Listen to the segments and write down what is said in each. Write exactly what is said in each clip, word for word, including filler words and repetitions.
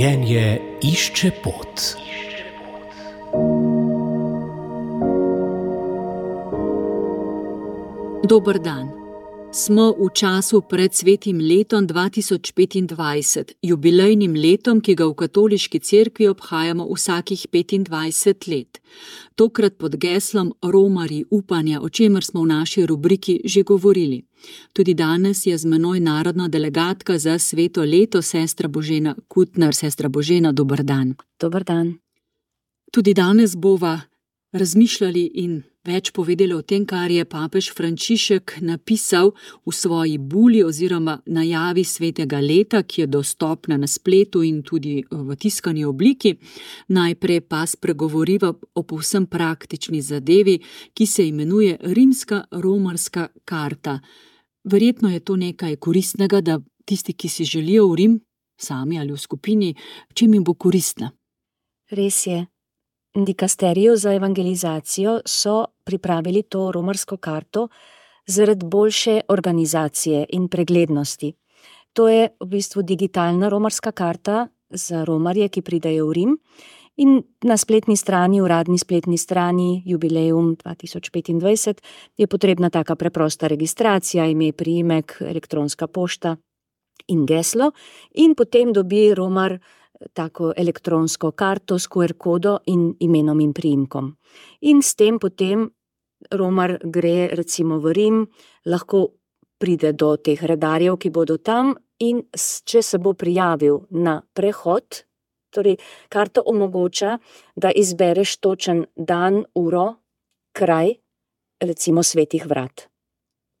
Življenje išče pot. Dober dan. Smo v času pred svetim letom dva tisoč petindvajset, jubilejnim letom, ki ga v katoliški cerkvi obhajamo vsakih petindvajset let. Tokrat pod geslom Romarji upanja, o čemer smo v naši rubriki že govorili. Tudi danes je z menoj narodna delegatka za sveto leto, sestra Božena Kutner. Sestra Božena, dober dan. Dober dan. Tudi danes bova razmišljali in več povedali o tem, kar je papež Frančišek napisal v svoji buli oziroma najavi svetega leta, ki je dostopna na spletu in tudi v tiskani obliki. Najprej pa spregovoriva o povsem praktični zadevi, ki se imenuje rimska romarska karta. Verjetno je to nekaj koristnega, da tisti, ki si želijo v Rim, sami ali v skupini, čim jim bo koristna. Res je. Dikasterijo za evangelizacijo so pripravili to romarsko karto zaradi boljše organizacije in preglednosti. To je v bistvu digitalna romarska karta za romarje, ki pridejo v Rim, in na spletni strani, uradni spletni strani Jubileum dva tisoč petindvajset je potrebna taka preprosta registracija, ime, priimek, elektronska pošta in geslo, in potem dobi romar tako elektronsko karto s Q R kodo in imenom in priimkom. In s tem potem romar gre recimo v Rim, lahko pride do teh redarjev, ki bodo tam, in če se bo prijavil na prehod, torej karta omogoča, da izbereš točen dan, uro, kraj, recimo Svetih vrat.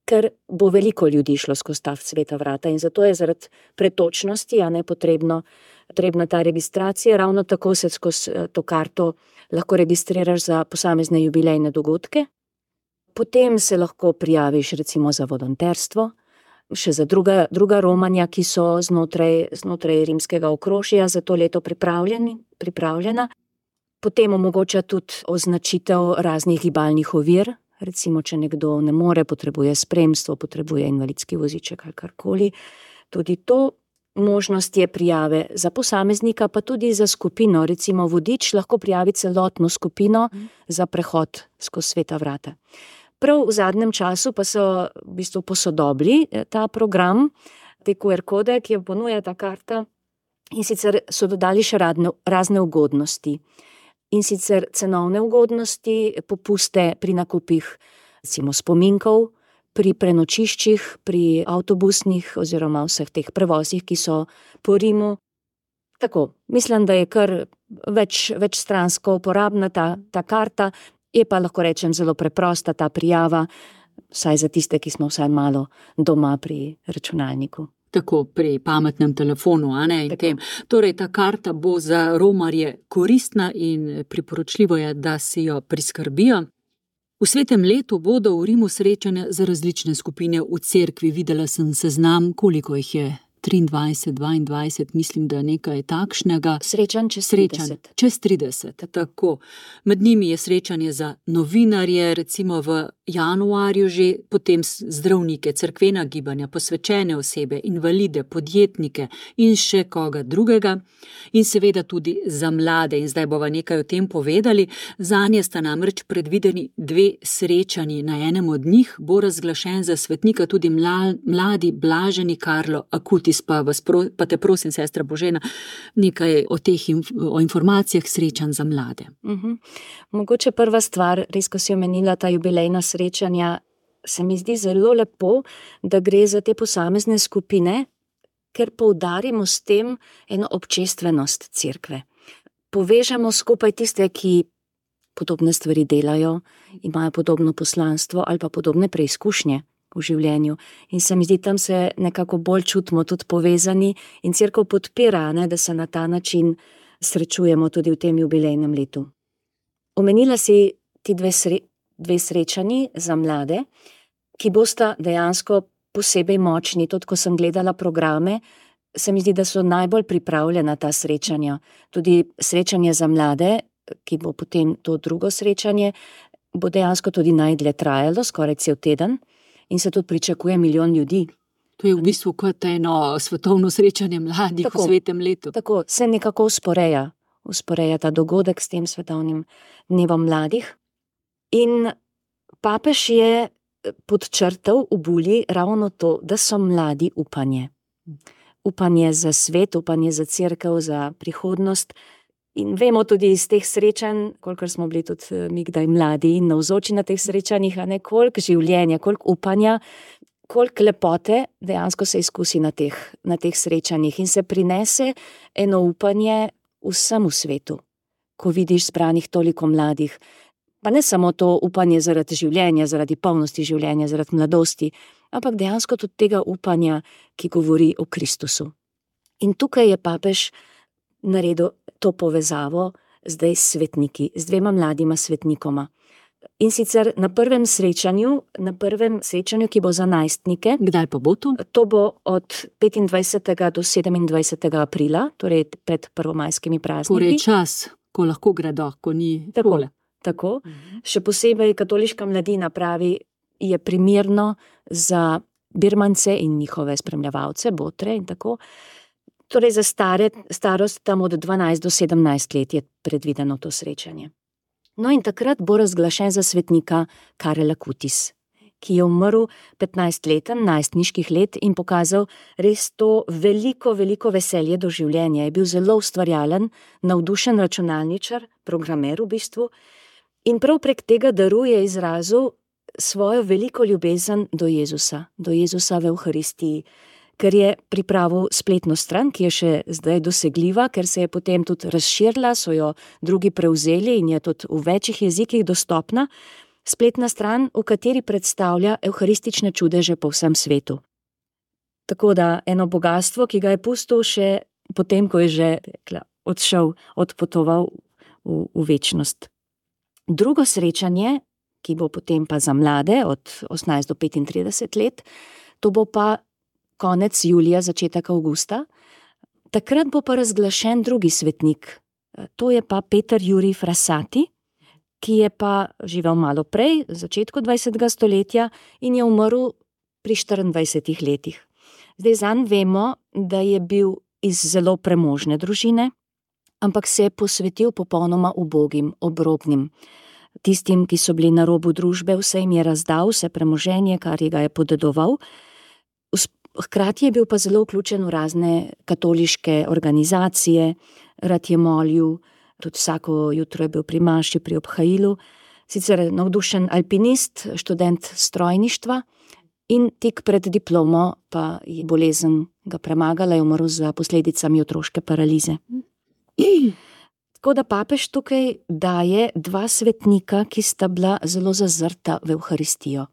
Ker bo veliko ljudi šlo skozi ta sveta vrata in zato je zaradi pretočnosti, a ne potrebno, potrebna ta registracija. Ravno tako se skozi to karto lahko registriraš za posamezne jubilejne dogodke. Potem se lahko prijaviš recimo za volonterstvo, še za druga, druga romanja, ki so znotraj, znotraj rimskega okrožja za to leto pripravljeni, pripravljena. Potem omogoča tudi označitev raznih gibalnih ovir. Recimo, če nekdo ne more, potrebuje spremstvo, potrebuje invalidski voziček ali karkoli. Tudi to možnost je prijave za posameznika, pa tudi za skupino. Recimo vodič lahko prijavi celotno skupino za prehod skozi sveta vrata. Prav v zadnjem času pa so v bistvu posodobili ta program, te Q R kode, ki jo ponuja ta karta, in sicer so dodali še radne, razne ugodnosti. In sicer cenovne ugodnosti, popuste pri nakupih recimo spominkov, pri prenočiščih, pri avtobusnih oziroma vseh teh prevozih, ki so po Rimu. Tako, mislim, da je kar več, večstransko uporabna ta, ta karta, je pa lahko rečem zelo preprosta ta prijava, vsaj za tiste, ki smo vsaj malo doma pri računalniku. Tako pri pametnem telefonu, a ne, in tem. Torej, ta karta bo za romarje koristna in priporočljivo je, da si jo priskrbijo. V svetem letu bodo v Rimu srečanja za različne skupine v cerkvi. Videla sem seznam, koliko jih je, triindvajset, dvaindvajset, mislim, da nekaj takšnega. Srečanj čez trideset. Čez trideset, tako. Med njimi je srečanje za novinarje, recimo v januarju že, potem zdravnike, cerkvena gibanja, posvečene osebe, invalide, podjetnike in še koga drugega. In seveda tudi za mlade, in zdaj bova nekaj o tem povedali. Zanje sta namreč predvideni dve srečanji. Na enem od njih bo razglašen za svetnika tudi mladi blaženi Karlo Acutis. Pa, vas pro, pa te prosim, sestra Božena, nekaj o teh inf, o informacijah srečanj za mlade. Uh-huh. Mogoče prva stvar, res ko si omenila ta jubilejna srečanja, se mi zdi zelo lepo, da gre za te posamezne skupine, ker poudarimo s tem eno občestvenost cerkve. Povežemo skupaj tiste, ki podobne stvari delajo, imajo podobno poslanstvo ali pa podobne preizkušnje v življenju. In se mi zdi, tam se nekako bolj čutimo tudi povezani in cerkev podpira, ne, da se na ta način srečujemo tudi v tem jubilejnem letu. Omenila si ti dve, sre, dve srečanji za mlade, ki bosta dejansko posebej močni. Tudi ko sem gledala programe, se mi zdi, da so najbolj pripravljena ta srečanja. Tudi srečanje za mlade, ki bo potem to drugo srečanje, bo dejansko tudi najdlje trajalo, skoraj cel teden. In se tudi pričakuje milijon ljudi. To je v bistvu kot eno svetovno srečanje mladih Tako, v svetem letu. Tako se nekako usporeja, usporeja ta dogodek s tem svetovnim dnevom mladih. In papež je podčrtal v bulji ravno to, da so mladi upanje. Upanje za svet, upanje za cerkev, za prihodnost. In vemo tudi iz teh srečanj, kolikor smo bili tudi mi kdaj mladi in navzoči na teh srečanjih, a ne, koliko življenja, koliko upanja, koliko lepote dejansko se izkusi na teh, na teh srečanjih in se prinese eno upanje vsem v svetu, ko vidiš zbranih toliko mladih. Pa ne samo to upanje zaradi življenja, zaradi polnosti življenja, zaradi mladosti, ampak dejansko tudi tega upanja, ki govori o Kristusu. In tukaj je papež naredil to povezavo zdaj s svetniki, z dvema mladima svetnikoma. In sicer na prvem srečanju, na prvem srečanju, ki bo za najstnike. Kdaj pa bo to? To bo od petindvajsetega do sedemindvajsetega aprila, torej pred prvomajskimi prazniki. Torej čas, ko lahko gredo, ko ni takole. Tako. Še posebej katoliška mladina pravi, je primerno za birmance in njihove spremljevalce, botre in tako. Torej za stare, starost tam od dvanajst do sedemnajst let je predvideno to srečanje. No in takrat bo razglašen za svetnika Karel Acutis, ki je umrl petnajstleten, najstniških let in pokazal res to veliko, veliko veselje do življenja. Je bil zelo ustvarjalen, navdušen računalničar, programer v bistvu, in prav prek tega daru je izrazil svojo veliko ljubezen do Jezusa, do Jezusa v Evharistiji, ker je pripravil spletno stran, ki je še zdaj dosegljiva, ker se je potem tudi razširila, so jo drugi prevzeli in je tudi v večjih jezikih dostopna, spletna stran, v kateri predstavlja evharistične čudeže po vsem svetu. Tako da eno bogastvo, ki ga je pustil še potem, ko je že rekla, odšel, odpotoval v, v večnost. Drugo srečanje, ki bo potem pa za mlade od osemnajst do petintrideset let, to bo pa konec julija, začetek avgusta. Takrat bo pa razglašen drugi svetnik. To je pa Peter Jurij Frassati, ki je pa živel malo prej, v začetku dvajsetega stoletja in je umrl pri štiriindvajsetih letih. Zdaj zanj vemo, da je bil iz zelo premožne družine, ampak se je posvetil popolnoma ubogim, obrobnim. Tistim, ki so bili na robu družbe, vse jim je razdal, vse premoženje, kar je ga je podedoval. Hkrati je bil pa zelo vključen v razne katoliške organizacije, rad je molil, tudi vsako jutro je bil pri maši, pri obhajilu, sicer navdušen alpinist, študent strojništva in tik pred diplomo pa je bolezen ga premagala, je umrl za posledicami otroške paralize. Tako da papež tukaj daje dva svetnika, ki sta bila zelo zazrta v Evharistijo.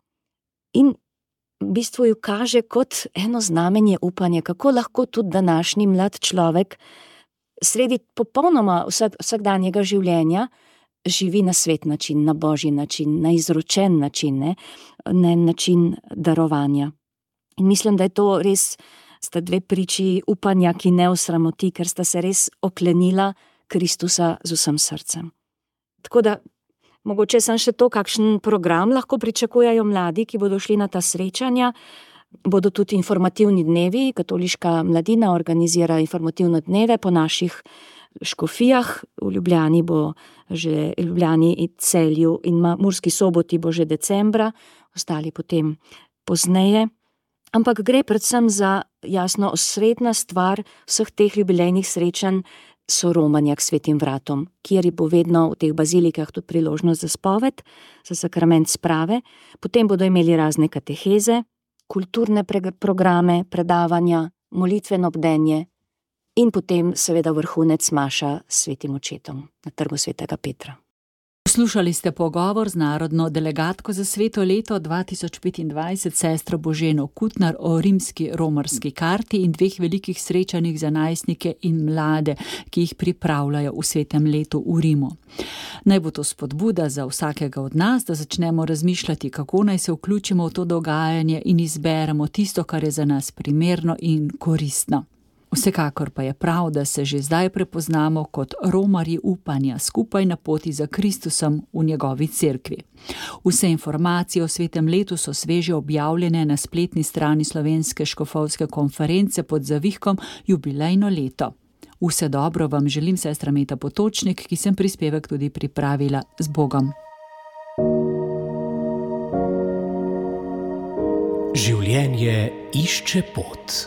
In v bistvu ju kaže kot eno znamenje upanja, kako lahko tudi današnji mlad človek sredi popolnoma vsak, vsakdanjega življenja živi na svet način, na božji način, na izročen način, ne, na način darovanja. In mislim, da je to res, sta dve priči upanja, ki ne osramoti, ker sta se res oklenila Kristusa z vsem srcem. Tako da mogoče sem še to, kakšen program lahko pričakujejo mladi, ki bodo šli na ta srečanja. Bodo tudi informativni dnevi, katoliška mladina organizira informativne dneve po naših škofijah. V Ljubljani bo že, Ljubljani in Celju in Murski Soboti bo že decembra, ostali potem pozneje. Ampak gre predvsem za jasno osrednja stvar vseh teh jubilejnih srečanj, so romanja k svetim vratom, kjer bo vedno v teh bazilikah tudi priložnost za spoved, za sakrament sprave, potem bodo imeli razne kateheze, kulturne programe, predavanja, molitveno bdenje in potem seveda vrhunec maša s svetim očetom na trgu svetega Petra. Poslušali ste pogovor z narodno delegatko za sveto leto dva tisoč petindvajset, sestro Boženo Kutnar, o rimski romarski karti in dveh velikih srečanjih za najstnike in mlade, ki jih pripravljajo v svetem letu v Rimu. Naj bo to spodbuda za vsakega od nas, da začnemo razmišljati, kako naj se vključimo v to dogajanje in izberemo tisto, kar je za nas primerno in koristno. Vsekakor pa je prav, da se že zdaj prepoznamo kot romarji upanja skupaj na poti za Kristusom v njegovi cerkvi. Vse informacije o svetem letu so sveže objavljene na spletni strani Slovenske škofovske konference pod zavihkom Jubilejno leto. Vse dobro vam želim, sestra Meta Potočnik, ki sem prispevek tudi pripravila. Z Bogom. Življenje išče pot.